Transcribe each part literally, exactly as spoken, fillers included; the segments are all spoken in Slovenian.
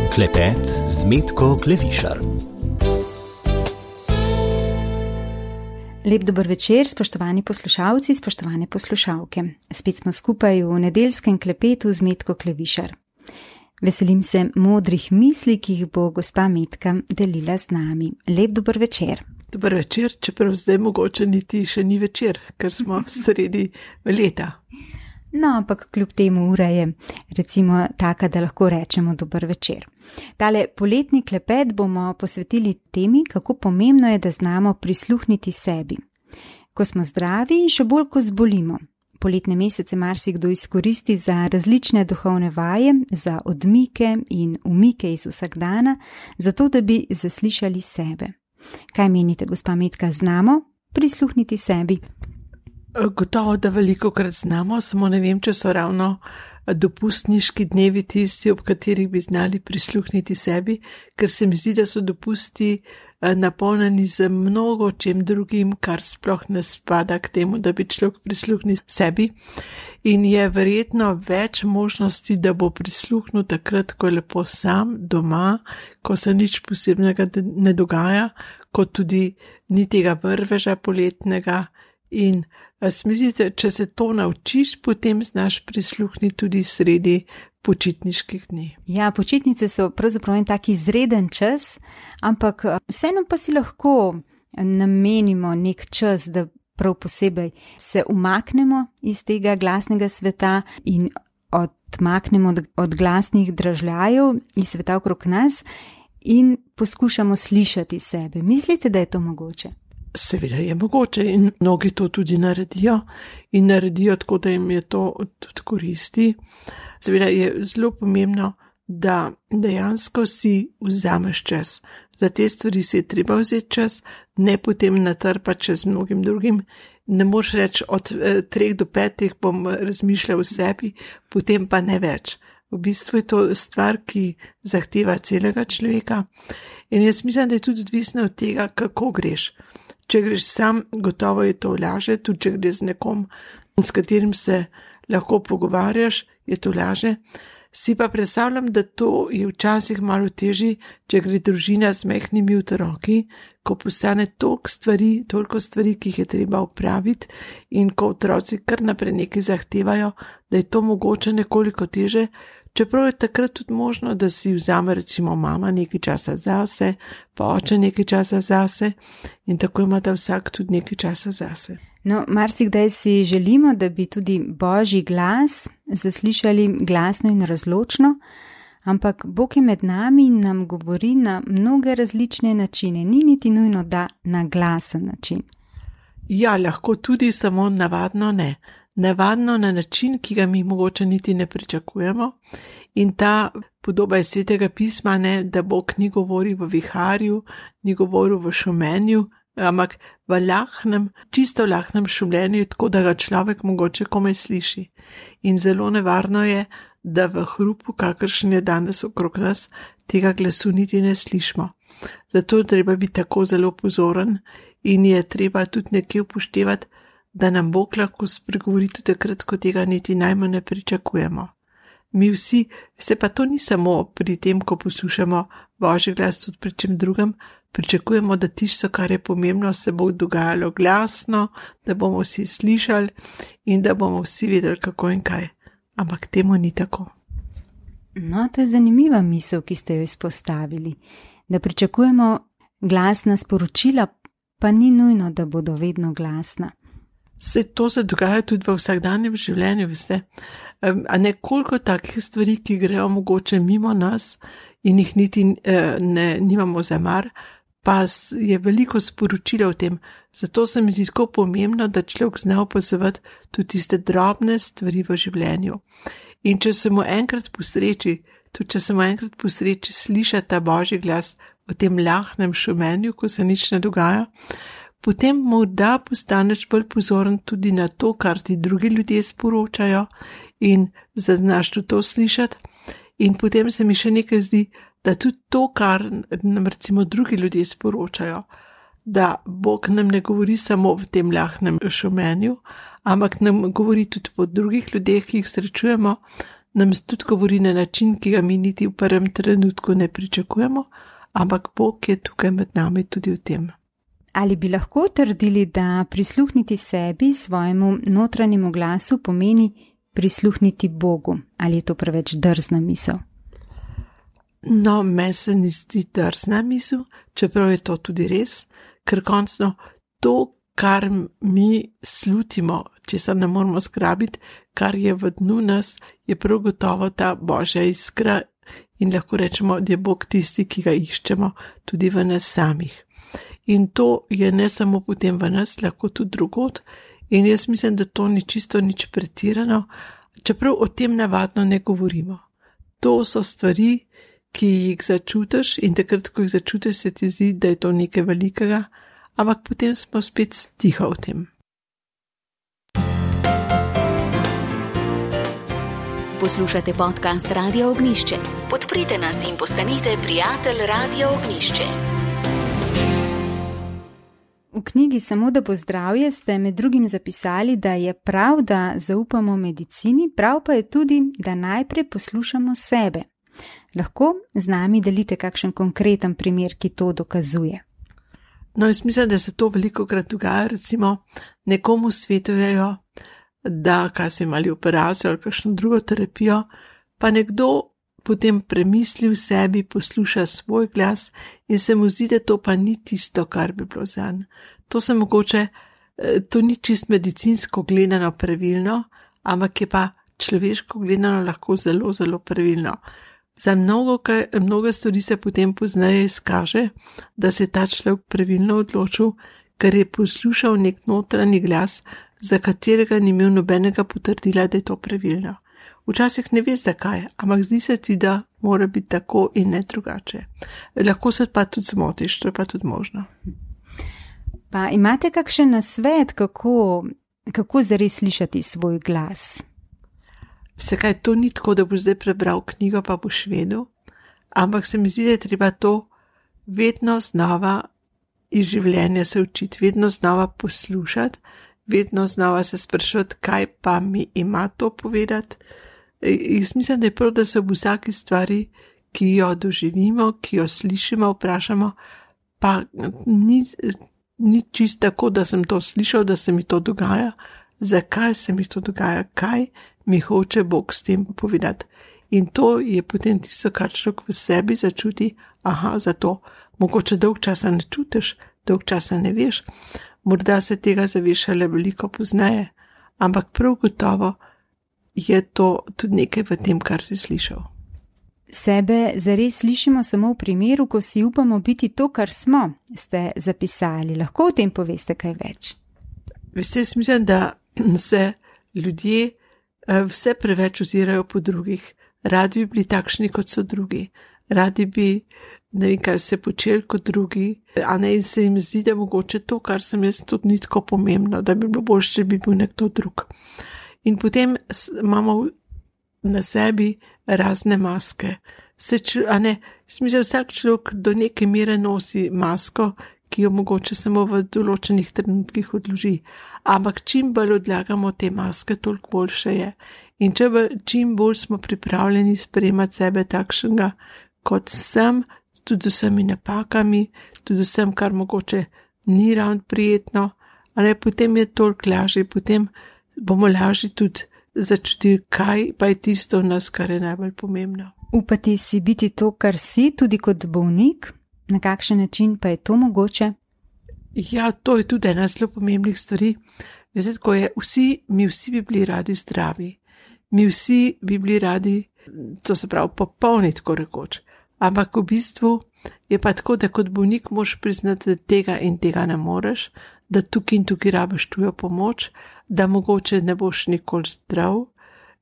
Klepet z Metko Klevišar. Lep dober večer, spoštovani poslušalci, spoštovane poslušalke. Spet smo skupaj v nedeljskem klepetu z Metko Klevišar. Veselim se modrih misli, ki jih bo gospa Metka delila z nami. Lep dober večer. Dober večer, čeprav zdaj mogoče niti še ni večer, ker smo sredi leta. No, ampak kljub temu ura je recimo taka, da lahko rečemo dober večer. Tale poletni klepet bomo posvetili temi, kako pomembno je, da znamo prisluhniti sebi. Ko smo zdravi in še bolj, ko zbolimo. Poletne mesece marsikdo izkoristi za različne duhovne vaje, za odmike in umike iz vsakdana, zato da bi zaslišali sebe. Kaj menite, gospa Metka, znamo prisluhniti sebi? Gotovo, da veliko krat znamo, samo ne vem, če so ravno dopustniški dnevi tisti, ob katerih bi znali prisluhniti sebi, ker se mi zdi, da so dopusti napolnjeni z mnogo čem drugim, kar sploh ne spada k temu, da bi človek prisluhnil sebi. In je verjetno več možnosti, da bo prisluhnil takrat, ko je lepo sam, doma, ko se nič posebnega ne dogaja, kot tudi ni tega vrveža poletnega. In smislite, če se to naučiš, potem znaš prisluhniti tudi sredi počitniških dni. Ja, počitnice so pravzaprav en tak izreden čas, ampak vseeno pa si lahko namenimo nek čas, da prav posebej se umaknemo iz tega glasnega sveta in odmaknemo od, od glasnih dražljajev iz sveta okrog nas in poskušamo slišati sebe. Mislite, da je to mogoče? Seveda je mogoče in mnogi to tudi naredijo in naredijo tako, da jim je to tudi koristi. Seveda je zelo pomembno, da dejansko si vzameš čas. Za te stvari si je treba vzeti čas, ne potem natrpati čez mnogim drugim. Ne moreš reči, od eh, treh do petih bom razmišljal o sebi, potem pa ne več. V bistvu je to stvar, ki zahteva celega človeka in jaz mislim, da je tudi odvisno od tega, kako greš. Če greš sam, gotovo je to laže, tudi če greš z nekom, s katerim se lahko pogovarjaš, je to laže. Si pa predstavljam, da to je včasih malo težje, če gre družina z mehkimi otroki, ko postane toliko stvari, toliko stvari, ki jih je treba opraviti in ko otroci kar naprej nekaj zahtevajo, da je to mogoče nekoliko teže, čeprav je takrat tudi možno, da si vzame recimo mama nekaj časa zase, pa oče nekaj časa zase in tako imata vsak tudi nekaj časa zase. No, marsikdaj si želimo, da bi tudi Božji glas zaslišali glasno in razločno, ampak Bog je med nami in nam govori na mnoge različne načine, ni niti nujno, da na glasen način. Ja, lahko tudi, samo navadno ne. Navadno na način, ki ga mi mogoče niti ne pričakujemo. In ta podoba je Svetega pisma, ne, da Bog ni govoril v viharju, ni govoril v šumenju, ampak v lahnem, čisto lahnem šumljenju, tako da ga človek mogoče komaj sliši. In zelo nevarno je, da v hrupu, kakršen je danes okrog nas, tega glasu niti ne slišimo. Zato treba biti tako zelo pozoren in je treba tudi nekje upoštevati, da nam Bog lahko spregovori tudi takrat, ko tega niti najmanj ne pričakujemo. Mi vsi, vse pa to ni samo pri tem, ko poslušamo Božji glas, tudi pri čem drugem, pričakujemo, da tisto, kar je pomembno, se bo dogajalo glasno, da bomo vsi slišali in da bomo vsi vedeli, kako in kaj. Ampak temu ni tako. No, to je zanimiva misel, ki ste jo izpostavili, da pričakujemo glasna sporočila, pa ni nujno, da bodo vedno glasna. Se to se dogaja tudi v vsakdanjem življenju, veste. A nekoliko takih stvari, ki grejo mogoče mimo nas in jih niti ne, nimamo za mar, pa je veliko sporočila o tem. Zato se mi zdi tako pomembno, da človek zna opazovati tudi tiste drobne stvari v življenju. In če se mu enkrat posreči, tudi če se mu enkrat posreči slišati ta Božji glas v tem lahnem šumenju, ko se nič ne dogaja, potem morda postaneš bolj pozoren tudi na to, kar ti drugi ljudje sporočajo in znaš tudi to slišati. In potem se mi še nekaj zdi, da tudi to, kar nam recimo drugi ljudje sporočajo, da Bog nam ne govori samo v tem lahnem šumenju, ampak nam govori tudi po drugih ljudeh, ki jih srečujemo, nam tudi govori na način, ki ga mi niti v prvem trenutku ne pričakujemo, ampak Bog je tukaj med nami tudi v tem. Ali bi lahko trdili, da prisluhniti sebi, svojemu notranjemu glasu, pomeni prisluhniti Bogu? Ali je to preveč drzna misel? No, meni se ni zdi drzna misel, čeprav je to tudi res, ker končno to, kar mi slutimo, če se ne moramo zgrabiti, kar je v dnu nas, je prav gotovo ta Božja iskra in lahko rečemo, da je Bog tisti, ki ga iščemo tudi v nas samih. In to je ne samo potem v nas, lahko tudi drugod. In jaz mislim, da to ni čisto nič pretirano, čeprav o tem navadno ne govorimo. To so stvari, ki jih začutiš in takrat, ko jih začutiš, se ti zdi, da je to nekaj velikega, ampak potem smo spet tiho o tem. Poslušate podcast Radio Ognjišče. Podprite nas in postanite prijatelj Radio Ognjišče. V knjigi Samo da bo zdravje ste med drugim zapisali, da je prav, da zaupamo medicini, prav pa je tudi, da najprej poslušamo sebe. Lahko z nami delite kakšen konkreten primer, ki to dokazuje? No, jaz mislim, da se to veliko krat dogaja, recimo nekomu svetujejo, da kaj so imeli operacijo ali kakšno drugo terapijo, pa nekdo potem premisli v sebi, posluša svoj glas in se mu zdi, da to pa ni tisto, kar bi bilo zanj. To se mogoče, to ni čist medicinsko gledano pravilno, ampak je pa človeško gledano lahko zelo, zelo pravilno. Za mnogo, mnogo stvari se potem pozneje izkaže, da se je ta človek pravilno odločil, ker je poslušal nek notranji glas, za katerega ni imel nobenega potrdila, da je to pravilno. Včasih ne veš zakaj, ampak zdi se ti, da mora biti tako in ne drugače. Lahko se pa tudi zmotiš, to je pa tudi možno. Pa imate kakšen nasvet, kako, kako zares slišati svoj glas? Vsekaj to ni tako, da boš zdaj prebral knjigo, pa boš vedel, ampak se mi zdi, da je treba to vedno znova iz življenja se učiti, vedno znova poslušati, vedno znova se sprašati, kaj pa mi ima to povedati. Jaz mislim, da je prav, da se v vsaki stvari, ki jo doživimo, ki jo slišimo, vprašamo, pa ni, ni čisto tako, da sem to slišal, da se mi to dogaja, zakaj se mi to dogaja, kaj mi hoče Bog s tem povedati. In to je potem tisto, kar človek v sebi začuti, aha, zato mogoče dolg časa ne čutiš, dolg časa ne veš, morda se tega zaveš le veliko pozneje, ampak prav gotovo je to tudi nekaj v tem, kar si slišal. Sebe zares slišimo samo v primeru, ko si upamo biti to, kar smo, ste zapisali. Lahko o tem poveste kaj več? Veste, jaz mislim, da se ljudje vse preveč ozirajo po drugih. Radi bi bili takšni, kot so drugi. Radi bi, ne vem, kaj se počeli kot drugi, a ne, in se jim zdi, da mogoče to, kar sem jaz, tudi ni tako pomembno, da bi bilo boljše, če bi bil nekdo drug. In potem imamo na sebi razne maske. Se, a ne, mislim, vsak človek do neke mere nosi masko, ki jo mogoče samo v določenih trenutkih odloži. Ampak čim bolj odlagamo te maske, toliko boljše je. In če bo, čim bolj smo pripravljeni sprejemati sebe takšnega, kot sem, tudi vsemi napakami, tudi vsem, kar mogoče ni ravno prijetno, a ne, potem je toliko lažje, potem bomo lažje tudi začutili, kaj pa je tisto v nas, kar je najbolj pomembno. Upati si biti to, kar si, tudi kot bolnik? Na kakšen način pa je to mogoče? Ja, to je tudi ena zelo pomembnih stvari. Veste, ko je vsi, mi vsi bi bili radi zdravi. Mi vsi bi bili radi, to se pravi, popolni, tako rekoč. Ampak v bistvu je pa tako, da kot bolnik moraš priznati, da tega in tega ne moreš, da tukaj in tukaj rabiš tujo pomoč, da mogoče ne boš nikoli zdrav.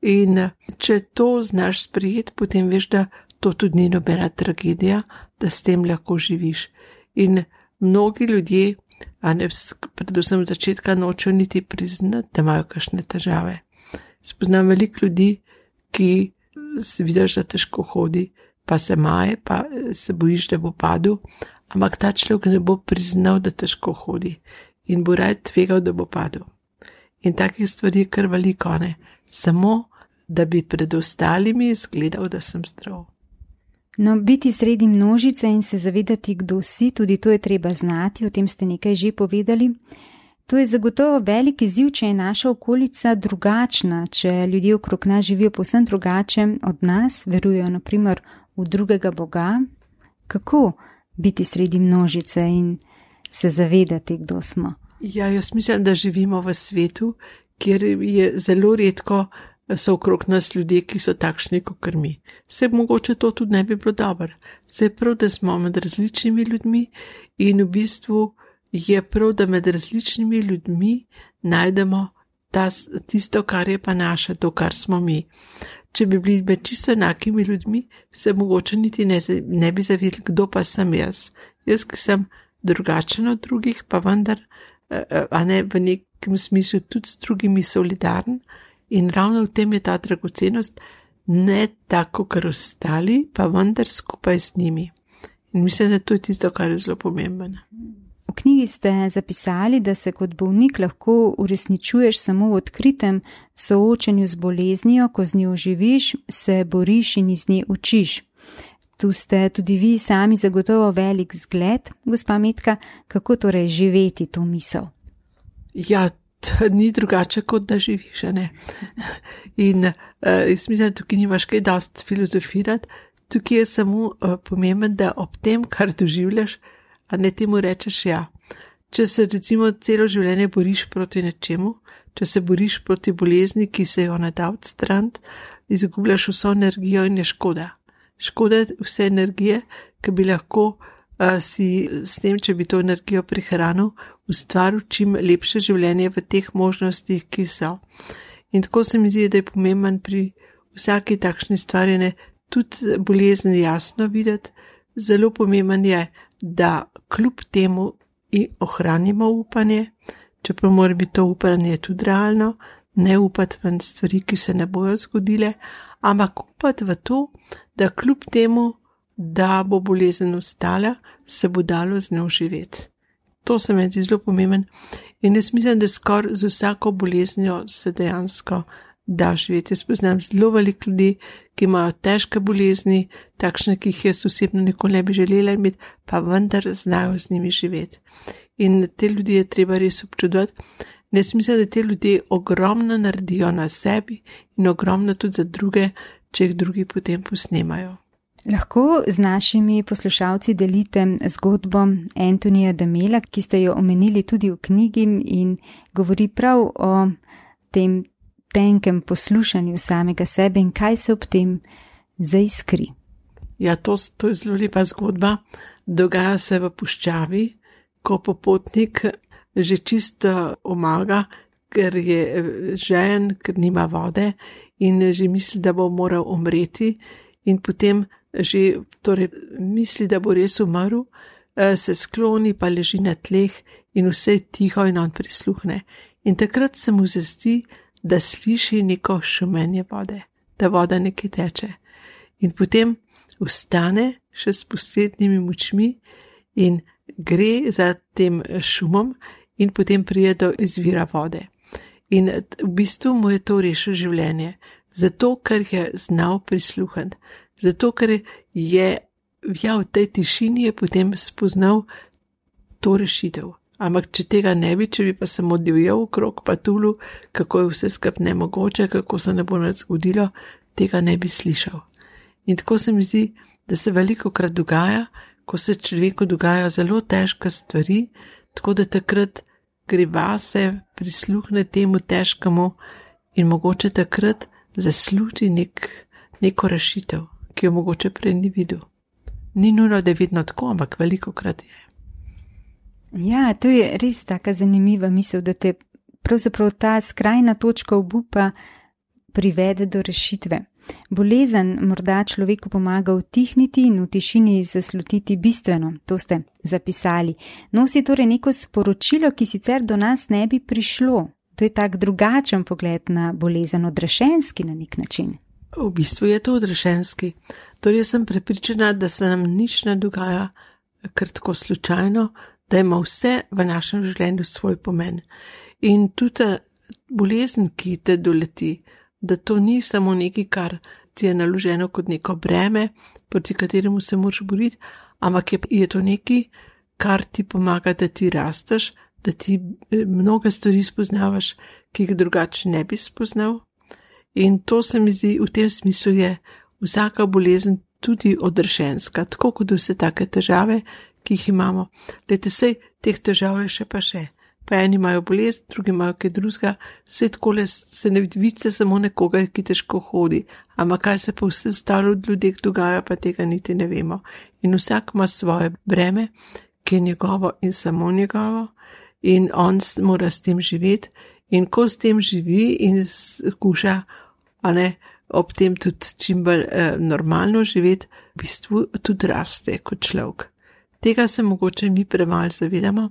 In če to znaš sprijeti, potem veš, da to tudi ni nobena tragedija, da s tem lahko živiš. In mnogi ljudje, a ne, predvsem od začetka nočejo niti priznati, da imajo kakšne težave. Spoznam veliko ljudi, ki se vidiš, da težko hodi, pa se maje, pa se bojiš, da bo padel, ampak ta človek ne bo priznal, da težko hodi in bo raje tvegal, da bo padel. In takih stvari je kar veliko, ne. Samo da bi pred ostalimi izgledal, da sem zdrav. No, biti sredi množice in se zavedati, kdo si, tudi to je treba znati, o tem ste nekaj že povedali. To je zagotovo velik izziv, če je naša okolica drugačna, če ljudje okrog nas živijo povsem drugače od nas, verujejo na primer v drugega Boga. Kako biti sredi množice in se zavedati, kdo smo? Ja, jaz mislim, da živimo v svetu, kjer je zelo redko so okrog nas ljudje, ki so takšni kot mi. Se mogoče to tudi ne bi bilo dobro. Se je prav, da smo med različnimi ljudmi in v bistvu je prav, da med različnimi ljudmi najdemo ta, tisto, kar je pa naše, to, kar smo mi. Če bi bili med čisto enakimi ljudmi, se mogoče niti ne, ne bi zavedali, kdo pa sem jaz. Jaz, ki sem drugačen od drugih, pa vendar, a ne v nekem smislu tudi s drugimi solidaren. In ravno v tem je ta dragocenost, ne tako, kar ostali, pa vendar skupaj z njimi. In mislim, da to je tisto, kar je zelo pomembno. V knjigi ste zapisali, da se kot bolnik lahko uresničuješ samo v odkritem soočenju z boleznijo, ko z njo živiš, se boriš in iz nje učiš. Tu ste tudi vi sami zagotovo velik zgled, gospa Metka, kako torej živeti to misel? Ja, to ni drugače, kot da živiš, ne. In uh, jaz mislim, da tukaj nimaš kaj dosti filozofirati, tukaj je samo uh, pomemben, da ob tem, kar doživljaš, a ne temu rečeš ja. Če se recimo celo življenje boriš proti nečemu, če se boriš proti bolezni, ki se jo ne da odstraniti, izgubljaš vso energijo in je škoda. Škoda vse energije, ki bi lahko uh, si s tem, če bi to energijo prihranil, ustvaril čim lepše življenje v teh možnostih, ki so. In tako se mi zdi, da je pomemben pri vsaki takšni stvari, ne, tudi bolezni jasno videti. Zelo pomemben je, da kljub temu ohranimo upanje, čeprav mora biti to upanje tudi realno, ne upati v stvari, ki se ne bojo zgodile, ampak upati v to, da kljub temu, da bo bolezen ostala, se bo dalo z njo živeti. To se mi zdi zelo pomemben in jaz mislim, da skoraj z vsako boleznjo se dejansko da živeti. Jaz poznam zelo veliko ljudi, ki imajo težke bolezni, takšne, ki jih jaz osebno nikoli ne bi želela imeti, pa vendar znajo z njimi živeti. In te ljudi je treba res občudovati. Jaz mislim, da te ljudje ogromno naredijo na sebi in ogromno tudi za druge, če jih drugi potem posnemajo. Lahko z našimi poslušalci delite zgodbo Antonija Damela, ki ste jo omenili tudi v knjigi in govori prav o tem tenkem poslušanju samega sebe in kaj se ob tem zaiskri. Ja, to, to je zelo lepa zgodba. Dogaja se v puščavi, ko popotnik že čisto omaga, ker je žejen, ker nima vode in že misli, da bo moral umreti in potem že torej, misli, da bo res umrl, se skloni, pa leži na tleh in vse je tiho in on prisluhne. In takrat se mu zazdi, da sliši neko šumenje vode, da voda nekaj teče. In potem vstane še s poslednjimi močmi in gre za tem šumom in potem pride do izvira vode. In v bistvu mu je to rešilo življenje, zato ker je znal prisluhati, zato ker je ja, v tej tišini je potem spoznal to rešitev. Ampak če tega ne bi, če bi pa samo divjal okrog patulu, kako je vse skup nemogoče, kako se ne bo nič zgodilo, tega ne bi slišal. In tako se mi zdi, da se veliko krat dogaja, ko se človeku dogajajo zelo težke stvari, tako da takrat gre vase, prisluhne temu težkemu in mogoče takrat zasluti nek, neko rešitev, ki jo mogoče prej ni videl. Ni nujno, da je vedno tako, ampak veliko krat je. Ja, to je res taka zanimiva misel, da te pravzaprav ta skrajna točka obupa privede do rešitve. Bolezen morda človeku pomaga utihniti in v tišini zaslutiti bistveno, to ste zapisali. Nosi torej neko sporočilo, ki sicer do nas ne bi prišlo. To je tak drugačen pogled na bolezen, odrešenski na nek način. V bistvu je to odrešenski. Torej sem prepričana, da se nam nič ne dogaja kar tako slučajno, da ima vse v našem življenju svoj pomen. In tudi bolezen, ki te doleti, da to ni samo nekaj, kar ti je naloženo kot neko breme, proti kateremu se moraš boriti, ampak je, je to nekaj, kar ti pomaga, da ti rasteš, da ti mnoge stvari spoznavaš, ki jih drugače ne bi spoznal. In to se mi zdi, v tem smislu je vsaka bolezen tudi odrešenska, tako kot vse take težave, ki jih imamo. Lejte, sej teh težav je še pa še. Pa eni imajo bolezen, drugi imajo kaj drugega, vse takole se ne vidi samo nekoga, ki težko hodi, ampak kaj se pa vse ostalo od ljudeh dogaja, pa tega niti ne vemo. In vsak ima svoje breme, ki je njegovo in samo njegovo, in on mora s tem živeti, in ko s tem živi in skuša, a ne, ob tem tudi čim bolj eh, normalno živeti, v bistvu tudi raste kot človek. Tega se mogoče mi premalo zavedamo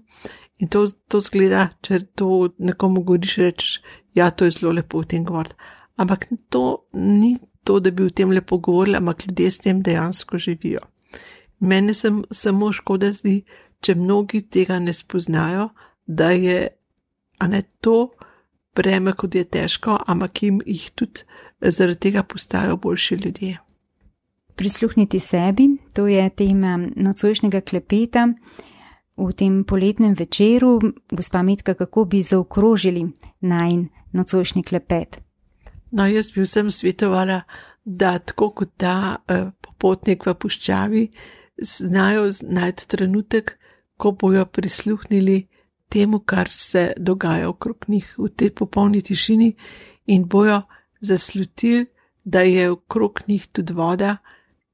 in to, to zgleda, če to nekomu govoriš, rečeš, ja, to je zelo lepo v tem govoriti. Ampak to ni to, da bi v tem lepo govorili, ampak ljudje s tem dejansko živijo. Mene se samo škoda zdi, če mnogi tega ne spoznajo, da je, a ne, to breme, kot je težko, ampak jim jih tudi zaradi tega postajajo boljši ljudje. Prisluhniti sebi, to je tema nocojšnjega klepeta. V tem poletnem večeru, gospa Metka, kako bi zaokrožili najin nocojšnji klepet? No, jaz bi vsem svetovala, da tako kot ta eh, popotnik v puščavi, znajo najti trenutek, ko bojo prisluhnili temu, kar se dogaja okrog njih v tej popolni tišini in bojo zaslutili, da je okrog njih tudi voda,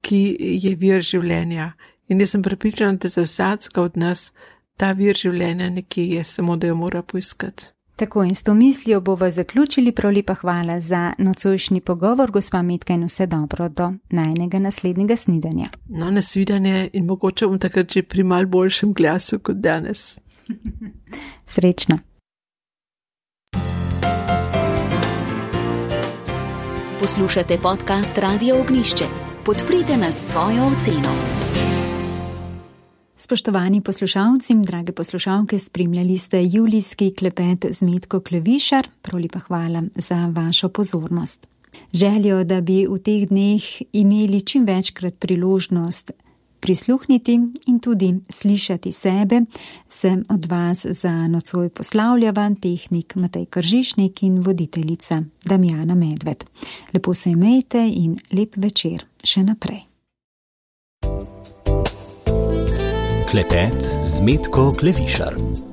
ki je vir življenja. In jaz sem prepričana, da za vsakega od nas ta vir življenja nekje je, samo da jo mora poiskati. Tako, in s to mislijo bova zaključili. Prav lepa hvala za nocojšnji pogovor, gospa Metka, in vse dobro do najnega naslednjega snidenja. No, nasvidenje, in mogoče bom takrat že pri mal boljšem glasu kot danes. Srečno. Poslušate podcast Radio Ognišče. Podprite nas s svojo oceno. Spoštovani poslušalci, drage poslušalke, spremljali ste julijski klepet z Metko Klevišar. Prav lepa hvala za vašo pozornost. Željo, da bi v teh dneh imeli čim večkrat priložnost prisluhniti in tudi slišati sebe, se od vas za nocoj poslavljava tehnik Matej Kržišnik in voditeljica Damjana Medved. Lepo se imejte in lep večer še naprej. Klepet z Metko Klevišar.